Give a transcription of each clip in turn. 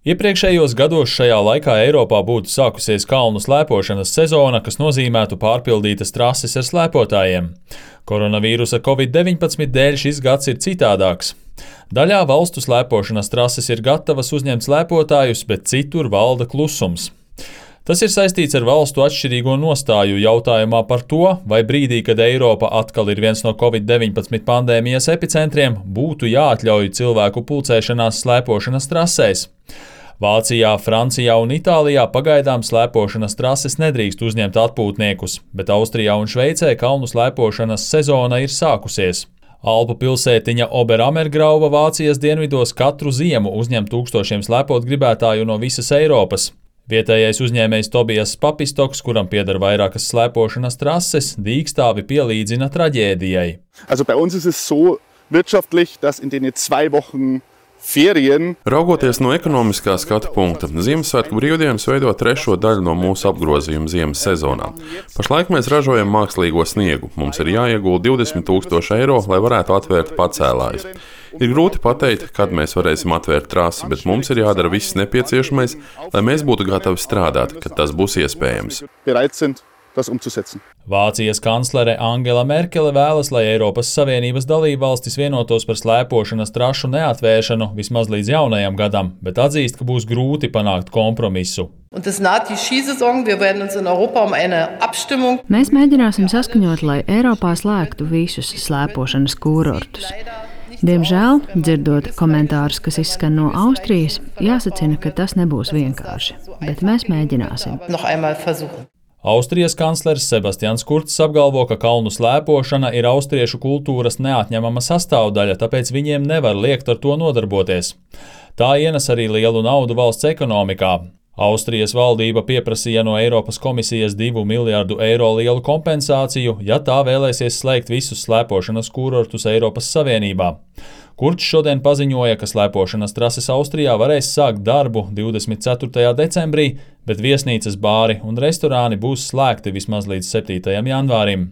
Iepriekšējos gados šajā laikā Eiropā būtu sākusies kalnu slēpošanas sezona, kas nozīmētu pārpildītas trases ar slēpotājiem. Koronavīrusa Covid-19 dēļ šis gads ir citādāks. Daļā valstu slēpošanas trases ir gatavas uzņemt slēpotājus, bet citur valda klusums. Tas ir saistīts ar valstu atšķirīgo nostāju jautājumā par to, vai brīdī, kad Eiropa atkal ir viens no Covid-19 pandēmijas epicentriem, būtu jāatļauj cilvēku pulcēšanās slēpošanas trasēs. Vācijā, Francijā un Itālijā pagaidām slēpošanas trases nedrīkst uzņemt atpūtniekus, bet Austrijā un Šveicē kalnu slēpošanas sezona ir sākusies. Alpu pilsētiņa Oberammergrauva Vācijas dienvidos katru ziemu uzņem tūkstošiem slēpot gribētāju no visas Eiropas. Vietējais uzņēmējs Tobijas Papistoks, kuram pieder vairākas slēpošanas trases, dīkstāvi pielīdzina traģēdijai. Also bei uns ist es so wirtschaftlich, dass in den 2 Wochen Ferien. Raugoties no ekonomiskā skatu punkta, Ziemassvētku brīvdienas veido 3. daļu no mūsu apgrozījuma ziemas sezonā. Pašlaik mēs ražojam mākslīgo sniegu. Mums ir jāiegulda 20,000 eiro, lai varētu atvērt pacēlājus. Ir grūti pateikt, kad mēs varēsim atvērt trasi, bet mums ir jādara viss nepieciešamais, lai mēs būtu gatavi strādāt, kad tas būs iespējams. Vācijas kanclere Angela Merkele vēlas, lai Eiropas Savienības dalībvalstis vienotos par slēpošanas trašu neatvēršanu vismaz līdz jaunajam gadam, bet atzīst, ka būs grūti panākt kompromisu. Mēs mēģināsim saskaņot, lai Eiropā slēgtu visus slēpošanas kūrortus. Diemžēl, dzirdot komentārus, kas izskan no Austrijas, jāsacina, ka tas nebūs vienkārši, bet mēs mēģināsim. Austrijas kanclers Sebastians Kurts apgalvo, ka kalnu slēpošana ir austriešu kultūras neatņemama sastāvdaļa, tāpēc viņiem nevar liekt ar to nodarboties. Tā ienes arī lielu naudu valsts ekonomikā. Austrijas valdība pieprasīja no Eiropas komisijas 2 miljārdu eiro lielu kompensāciju, ja tā vēlēsies slēgt visus slēpošanas kūrortus Eiropas Savienībā. Kurts šodien paziņoja, ka slēpošanas trases Austrijā varēs sākt darbu 24. decembrī, bet viesnīcas, bāri un restorāni būs slēgti vismaz līdz 7. janvārim.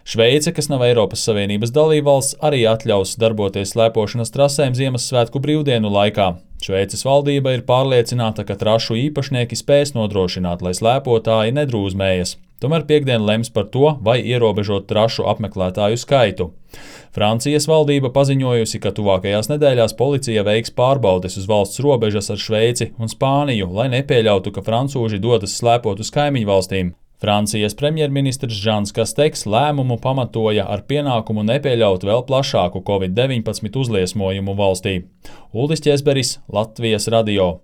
Šveice, kas nav Eiropas Savienības dalībvalsts, arī atļaus darboties slēpošanas trasēm Ziemassvētku brīvdienu laikā. Šveices valdība ir pārliecināta, ka trašu īpašnieki spēs nodrošināt, lai slēpotāji nedrūzmējas. Tomēr piektdien lems par to, vai ierobežot trašu apmeklētāju skaitu. Francijas valdība paziņojusi, ka tuvākajās nedēļās policija veiks pārbaudes uz valsts robežas ar Šveici un Spāniju, lai nepieļautu, ka francūži dodas slēpot uz kaimiņu valstīm. Francijas premjerministrs Žans Kasteks lēmumu pamatoja ar pienākumu nepieļaut vēl plašāku Covid-19 uzliesmojumu valstī. Uldis Ķesberis, Latvijas radio.